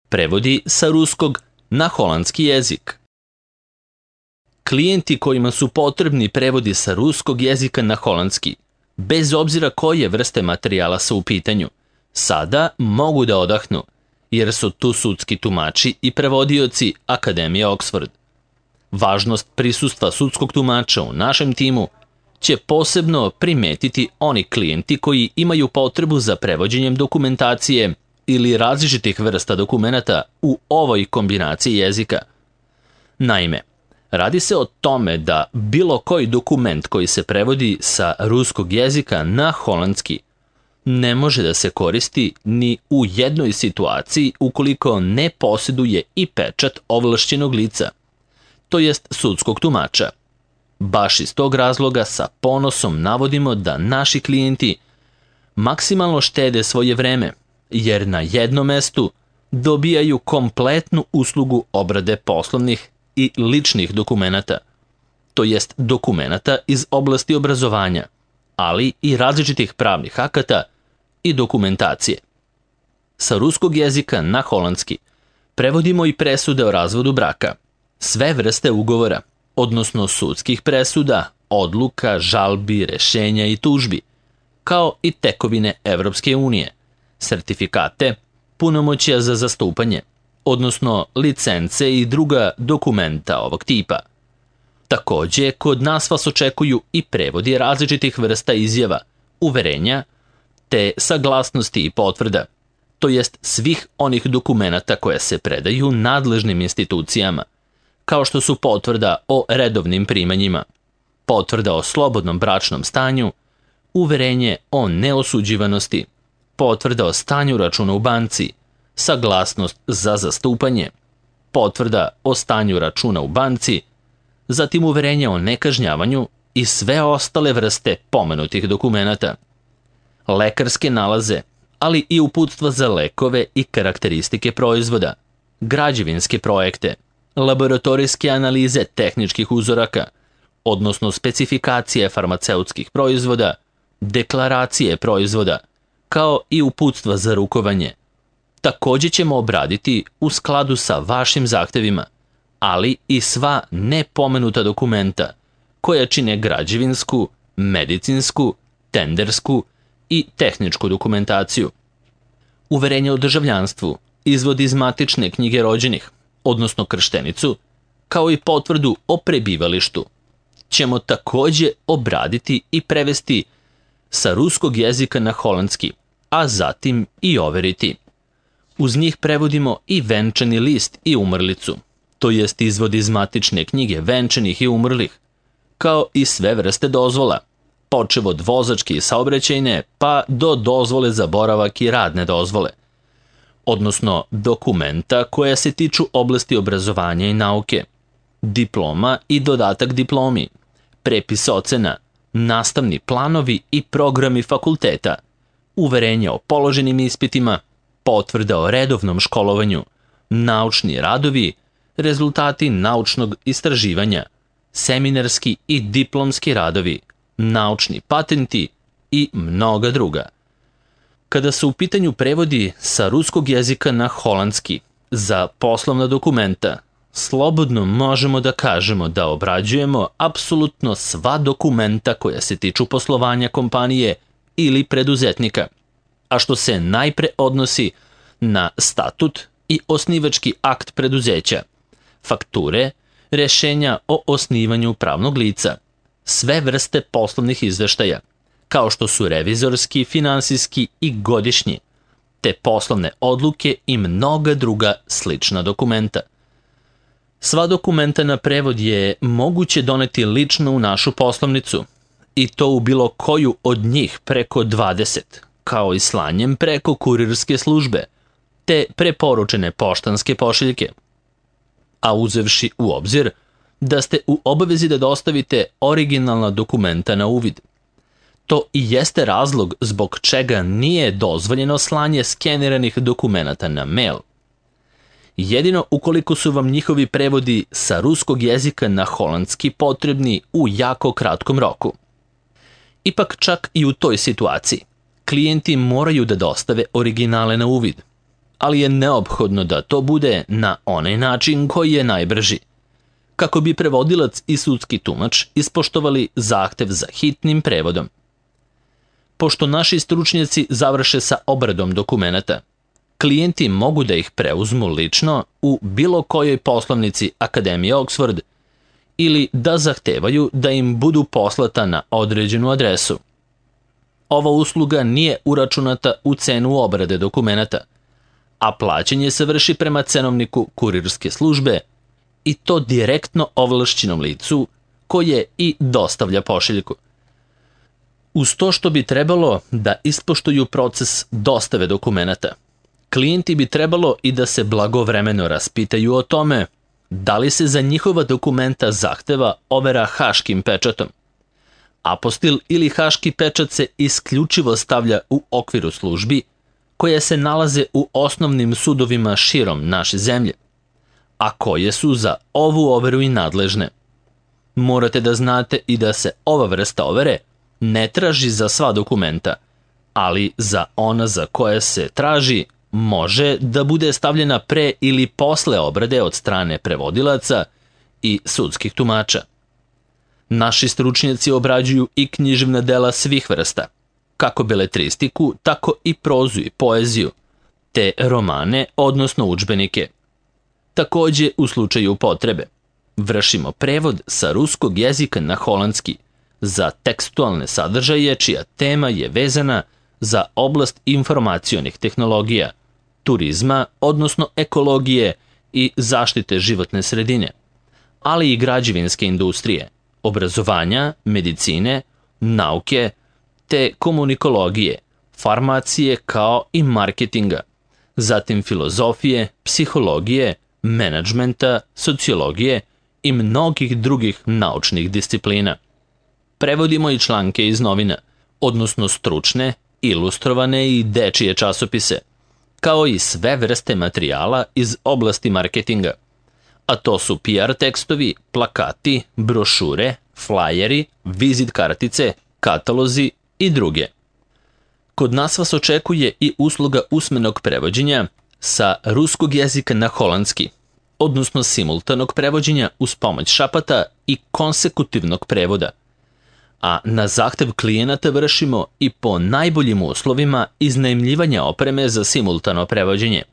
Prevodi sa ruskog na holandski jezik. Klijenti kojima su potrebni prevodi sa ruskog jezika na holandski, bez obzira koje vrste materijala su u pitanju, sada mogu da odahnu, jer su tu sudski tumači i prevodioci Akademije Oxford. Važnost prisustva sudskog tumača u našem timu će posebno primetiti oni klijenti koji imaju potrebu za prevođenjem dokumentacije ili različitih vrsta dokumenata u ovoj kombinaciji jezika. Naime, radi se o tome da bilo koji dokument koji se prevodi sa ruskog jezika na holandski ne može da se koristi ni u jednoj situaciji ukoliko ne posjeduje i pečat ovlašćenog lica, to jest sudskog tumača. Baš iz tog razloga sa ponosom navodimo da naši klijenti maksimalno štede svoje vreme, jer na jednom mestu dobijaju kompletnu uslugu obrade poslovnih i ličnih dokumenata, to jest dokumenata iz oblasti obrazovanja, ali i različitih pravnih akata i dokumentacije. Sa ruskog jezika na holandski prevodimo i presude o razvodu braka, sve vrste ugovora, odnosno sudskih presuda, odluka, žalbi, rešenja i tužbi, kao i tekovine Evropske unije, sertifikate, punomoćja za zastupanje, odnosno licence i druga dokumenta ovog tipa. Takođe, kod nas vas očekuju i prevodi različitih vrsta izjava, uverenja, te saglasnosti i potvrda, to jest svih onih dokumenata koje se predaju nadležnim institucijama, kao što su potvrda o redovnim primanjima, potvrda o slobodnom bračnom stanju, uverenje o neosuđivanosti, potvrda o stanju računa u banci, saglasnost za zastupanje, potvrda o stanju računa u banci, zatim uverenje o nekažnjavanju i sve ostale vrste pomenutih dokumenata. Lekarske nalaze, ali i uputstva za lekove i karakteristike proizvoda, građevinske projekte, laboratorijske analize tehničkih uzoraka, odnosno specifikacije farmaceutskih proizvoda, deklaracije proizvoda, kao i uputstva za rukovanje. Takođe ćemo obraditi u skladu sa vašim zahtevima, ali i sva nepomenuta dokumenta koja čine građevinsku, medicinsku, tendersku i tehničku dokumentaciju. Uverenje o državljanstvu, izvod iz matične knjige rođenih, odnosno krštenicu, kao i potvrdu o prebivalištu, ćemo takođe obraditi i prevesti sa ruskog jezika na holandski, a zatim i overiti. Uz njih prevodimo i venčani list i umrlicu, to jest izvod iz matične knjige venčanih i umrlih, kao i sve vrste dozvola, počev od vozačke i saobraćajne pa do dozvole za boravak i radne dozvole, odnosno dokumenta koja se tiču oblasti obrazovanja i nauke, diploma i dodatak diplomi, prepis ocena, nastavni planovi i programi fakulteta, uverenja o položenim ispitima, potvrda o redovnom školovanju, naučni radovi, rezultati naučnog istraživanja, seminarski i diplomski radovi, naučni patenti i mnoga druga. Kada su u pitanju prevodi sa ruskog jezika na holandski za poslovna dokumenta, slobodno možemo da kažemo da obrađujemo apsolutno sva dokumenta koja se tiču poslovanja kompanije ili preduzetnika, a što se najpre odnosi na statut i osnivački akt preduzeća, fakture, rešenja o osnivanju pravnog lica, sve vrste poslovnih izveštaja, kao što su revizorski, finansijski i godišnji, te poslovne odluke i mnoga druga slična dokumenta. Sva dokumenta na prevod je moguće doneti lično u našu poslovnicu, i to u bilo koju od njih preko 20, kao i slanjem preko kurirske službe, te preporučene poštanske pošiljke. A uzevši u obzir da ste u obavezi da dostavite originalna dokumenta na uvid. To i jeste razlog zbog čega nije dozvoljeno slanje skeniranih dokumenata na mail. Jedino ukoliko su vam njihovi prevodi sa ruskog jezika na holandski potrebni u jako kratkom roku. Ipak čak i u toj situaciji, klijenti moraju da dostave originale na uvid. ali je neophodno da to bude na onaj način koji je najbrži, kako bi prevodilac i sudski tumač ispoštovali zahtev za hitnim prevodom. Pošto naši stručnjaci završe sa obradom dokumenata, klijenti mogu da ih preuzmu lično u bilo kojoj poslovnici Akademije Oxford ili da zahtevaju da im budu poslata na određenu adresu. Ova usluga nije uračunata u cenu obrade dokumenata, a plaćanje se vrši prema cenovniku kurirske službe i to direktno ovlašćenom licu koje i dostavlja pošiljku. Uz to što bi trebalo da ispoštuju proces dostave dokumenata, klijenti bi trebalo i da se blagovremeno raspitaju o tome da li se za njihova dokumenta zahteva overa haškim pečatom. Apostil ili haški pečat se isključivo stavlja u okviru službi koje se nalaze u osnovnim sudovima širom naše zemlje, a koje su za ovu overu i nadležne. Morate da znate i da se ova vrsta overe ne traži za sva dokumenta, ali za ona za koje se traži može da bude stavljena pre ili posle obrade od strane prevodilaca i sudskih tumača. Naši stručnjaci obrađuju i književna dela svih vrsta, kako beletristiku, tako i prozu i poeziju, te romane, odnosno udžbenike. Takođe, u slučaju potrebe, vršimo prevod sa ruskog jezika na holandski za tekstualne sadržaje čija tema je vezana za oblast informacionih tehnologija, turizma, odnosno ekologije i zaštite životne sredine, ali i građevinske industrije, obrazovanja, medicine, nauke, te komunikologije, farmacije kao i marketinga, zatim filozofije, psihologije, menadžmenta, sociologije i mnogih drugih naučnih disciplina. Prevodimo i članke iz novina, odnosno stručne, ilustrovane i dečije časopise, kao i sve vrste materijala iz oblasti marketinga, a to su PR tekstovi, plakati, brošure, flajeri, vizit kartice, katalozi i druge. Kod nas vas očekuje i usluga usmenog prevođenja sa ruskog jezika na holandski, odnosno simultanog prevođenja uz pomoć šapata i konsekutivnog prevoda, a na zahtev klijenata vršimo i po najboljim uslovima iznajmljivanja opreme za simultano prevođenje.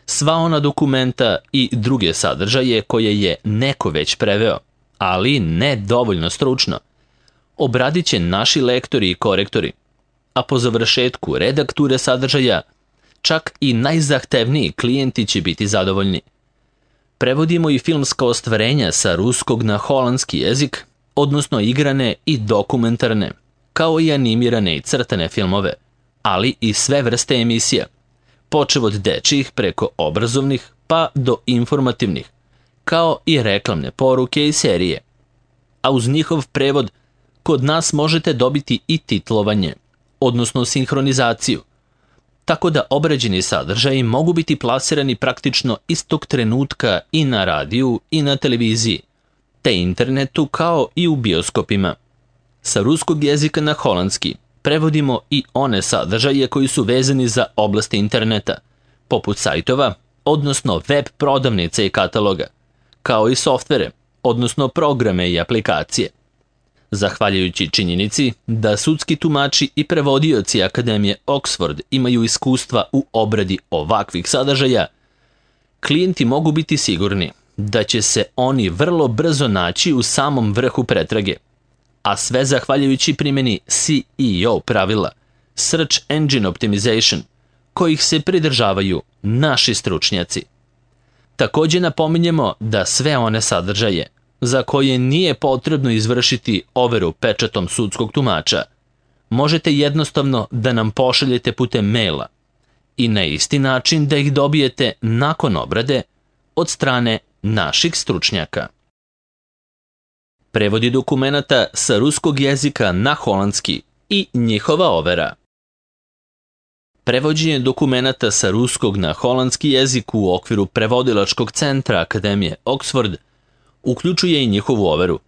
Sva ona dokumenta i druge sadržaje koje je neko već preveo, ali ne dovoljno stručno, obradit će naši lektori i korektori, a po završetku redakture sadržaja čak i najzahtevniji klijenti će biti zadovoljni. Prevodimo i filmska ostvarenja sa ruskog na holandski jezik, odnosno igrane i dokumentarne, kao i animirane i crtane filmove, ali i sve vrste emisija, počev od dečjih preko obrazovnih pa do informativnih, kao i reklamne poruke i serije. A uz njihov prevod kod nas možete dobiti i titlovanje, odnosno sinhronizaciju, tako da obrađeni sadržaji mogu biti plasirani praktično istog trenutka i na radiju i na televiziji, te internetu kao i u bioskopima. Sa ruskog jezika na holandski prevodimo i one sadržaje koji su vezani za oblasti interneta, poput sajtova, odnosno web prodavnice i kataloga, kao i softvere, odnosno programe i aplikacije. Zahvaljujući činjenici da sudski tumači i prevodioci Akademije Oxford imaju iskustva u obradi ovakvih sadržaja, klijenti mogu biti sigurni da će se oni vrlo brzo naći u samom vrhu pretrage, a sve zahvaljujući primjeni CEO pravila, Search Engine Optimization, kojih se pridržavaju naši stručnjaci. Takođe napominjemo da sve one sadržaje za koje nije potrebno izvršiti overu pečatom sudskog tumača, možete jednostavno da nam pošaljete putem maila i na isti način da ih dobijete nakon obrade od strane naših stručnjaka. Prevodi dokumenata sa ruskog jezika na holandski i njihova overa. Prevođenje dokumenata sa ruskog na holandski jezik u okviru prevodilačkog centra Akademije Oxford uključuje i njihovu overu,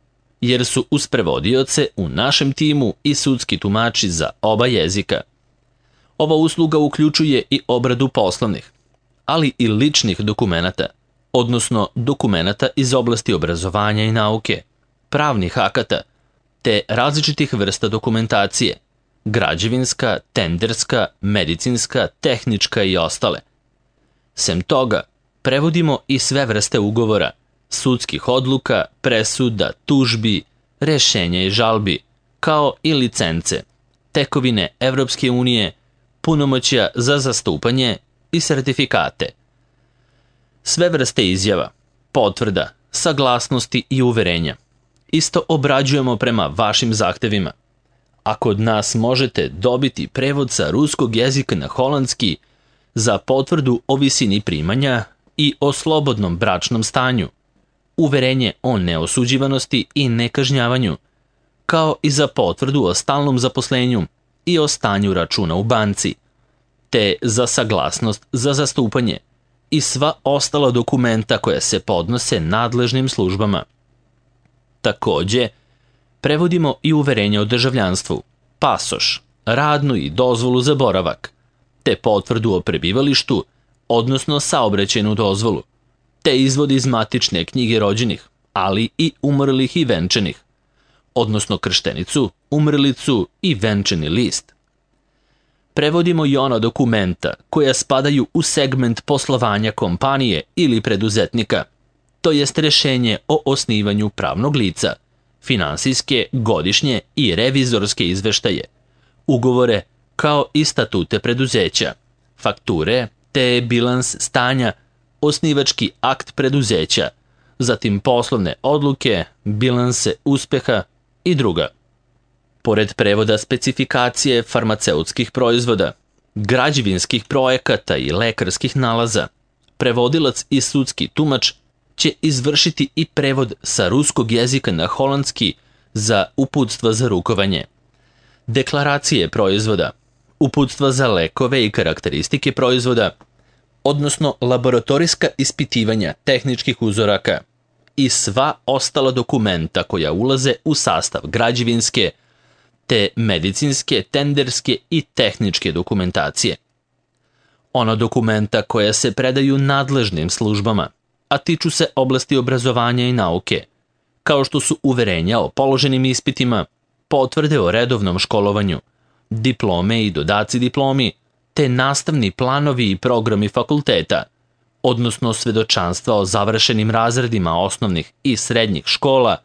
jer su uz prevodioce u našem timu i sudski tumači za oba jezika. Ova usluga uključuje i obradu poslovnih, ali i ličnih dokumenata, odnosno dokumenata iz oblasti obrazovanja i nauke, pravnih akata, te različitih vrsta dokumentacije, građevinska, tenderska, medicinska, tehnička i ostale. Sem toga, prevodimo i sve vrste ugovora, sudskih odluka, presuda, tužbi, rešenja i žalbi, kao i licence, tekovine Evropske unije, punomoćja za zastupanje i sertifikate. Sve vrste izjava, potvrda, saglasnosti i uverenja isto obrađujemo prema vašim zahtevima. A kod nas možete dobiti prevod sa ruskog jezika na holandski za potvrdu o visini primanja i o slobodnom bračnom stanju, uverenje o neosuđivanosti i nekažnjavanju, kao i za potvrdu o stalnom zaposlenju i o stanju računa u banci, te za saglasnost za zastupanje i sva ostala dokumenta koja se podnose nadležnim službama. Takođe, prevodimo i uverenje o državljanstvu, pasoš, radnu i dozvolu za boravak, te potvrdu o prebivalištu, odnosno saobraćajnu dozvolu, te izvod iz matične knjige rođenih, ali i umrlih i venčanih, odnosno krštenicu, umrlicu i venčani list. Prevodimo i ona dokumenta koja spadaju u segment poslovanja kompanije ili preduzetnika, to jest rešenje o osnivanju pravnog lica, finansijske, godišnje i revizorske izveštaje, ugovore kao i statute preduzeća, fakture te bilans stanja, osnivački akt preduzeća, zatim poslovne odluke, bilanse uspeha i druga. Pored prevoda specifikacije farmaceutskih proizvoda, građevinskih projekata i lekarskih nalaza, prevodilac i sudski tumač će izvršiti i prevod sa ruskog jezika na holandski za uputstva za rukovanje, deklaracije proizvoda, uputstva za lekove i karakteristike proizvoda, odnosno laboratorijska ispitivanja tehničkih uzoraka i sva ostala dokumenta koja ulaze u sastav građevinske, te medicinske, tenderske i tehničke dokumentacije. Ona dokumenta koja se predaju nadležnim službama, a tiču se oblasti obrazovanja i nauke, kao što su uverenja o položenim ispitima, potvrde o redovnom školovanju, diplome i dodaci diplomi, te nastavni planovi i programi fakulteta, odnosno svedočanstva o završenim razredima osnovnih i srednjih škola,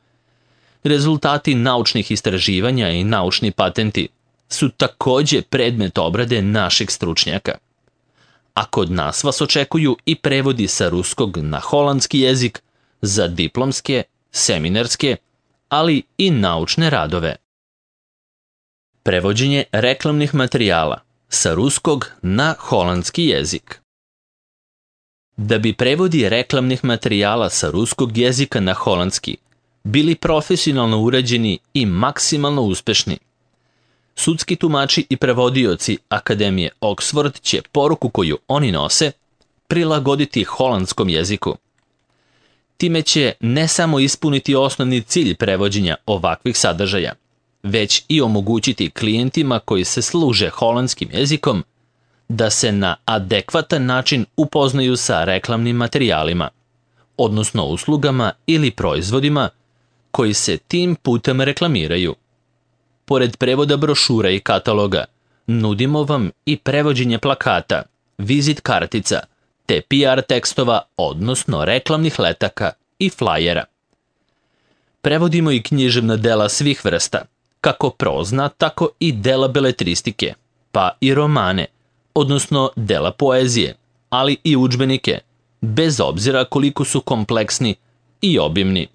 rezultati naučnih istraživanja i naučni patenti su takođe predmet obrade naših stručnjaka. A kod nas vas očekuju i prevodi sa ruskog na holandski jezik za diplomske, seminarske, ali i naučne radove. Prevođenje reklamnih materijala sa ruskog na holandski jezik. Da bi prevodi reklamnih materijala sa ruskog jezika na holandski bili profesionalno urađeni i maksimalno uspešni, sudski tumači i prevodioci Akademije Oxford će poruku koju oni nose prilagoditi holandskom jeziku. Time će ne samo ispuniti osnovni cilj prevođenja ovakvih sadržaja, već i omogućiti klijentima koji se služe holandskim jezikom da se na adekvatan način upoznaju sa reklamnim materijalima, odnosno uslugama ili proizvodima koji se tim putem reklamiraju. Pored prevoda brošura i kataloga, nudimo vam i prevođenje plakata, vizit kartica, te PR tekstova, odnosno reklamnih letaka i flajera. Prevodimo i književna dela svih vrsta, kako prozna, tako i dela beletristike, pa i romane, odnosno dela poezije, ali i udžbenike, bez obzira koliko su kompleksni i obimni.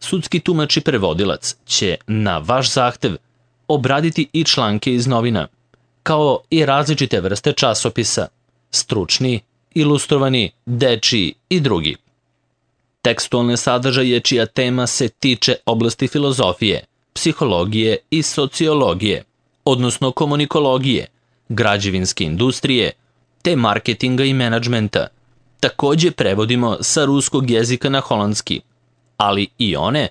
Sudski tumač i prevodilac će na vaš zahtev obraditi i članke iz novina, kao i različite vrste časopisa, stručni, ilustrovani, dečiji i drugi. Tekstualne sadržaje čija tema se tiče oblasti filozofije, psihologije i sociologije, odnosno komunikologije, građevinske industrije, te marketinga i menadžmenta, takođe prevodimo sa ruskog jezika na holandski, ali i one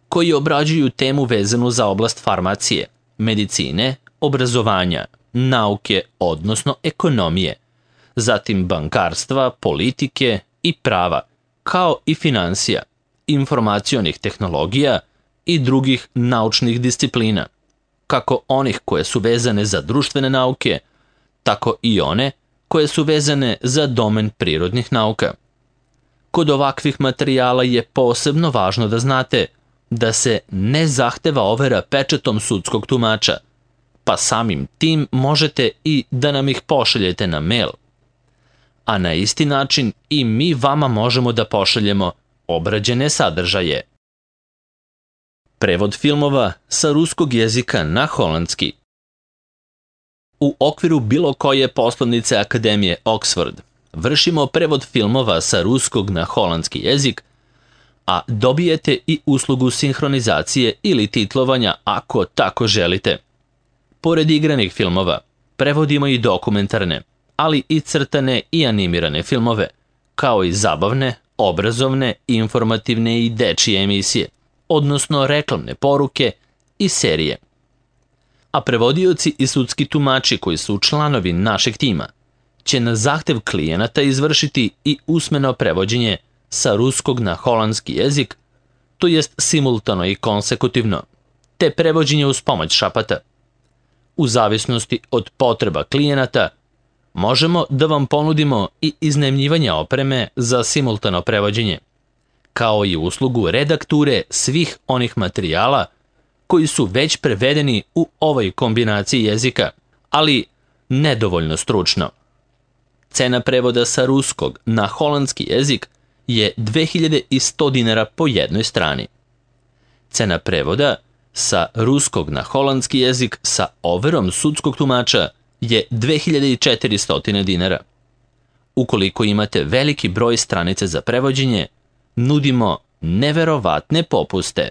koji obrađuju temu vezanu za oblast farmacije, medicine, obrazovanja, nauke, odnosno ekonomije, zatim bankarstva, politike i prava, kao i finansija, informacionih tehnologija i drugih naučnih disciplina, kako onih koje su vezane za društvene nauke, tako i one koje su vezane za domen prirodnih nauka. Kod ovakvih materijala je posebno važno da znate da se ne zahteva overa pečatom sudskog tumača, pa samim tim možete i da nam ih pošaljete na mail. A na isti način i mi vama možemo da pošaljemo obrađene sadržaje. Prevod filmova sa ruskog jezika na holandski. U okviru bilo koje poslovnice Akademije Oxford vršimo prevod filmova sa ruskog na holandski jezik, a dobijete i uslugu sinhronizacije ili titlovanja ako tako želite. Pored igranih filmova, prevodimo i dokumentarne, ali i crtane i animirane filmove, kao i zabavne, obrazovne, informativne i dečije emisije, odnosno reklamne poruke i serije. A prevodioci i sudski tumači koji su članovi našeg tima će na zahtev klijenata izvršiti i usmeno prevođenje sa ruskog na holandski jezik, to jest simultano i konsekutivno, te prevođenje uz pomoć šapata. U zavisnosti od potreba klijenata, možemo da vam ponudimo i iznajmljivanje opreme za simultano prevođenje, kao i uslugu redakture svih onih materijala koji su već prevedeni u ovoj kombinaciji jezika, ali nedovoljno stručno. Cena prevoda sa ruskog na holandski jezik je 2100 dinara po jednoj strani. Cena prevoda sa ruskog na holandski jezik sa overom sudskog tumača je 2400 dinara. Ukoliko imate veliki broj stranica za prevođenje, nudimo neverovatne popuste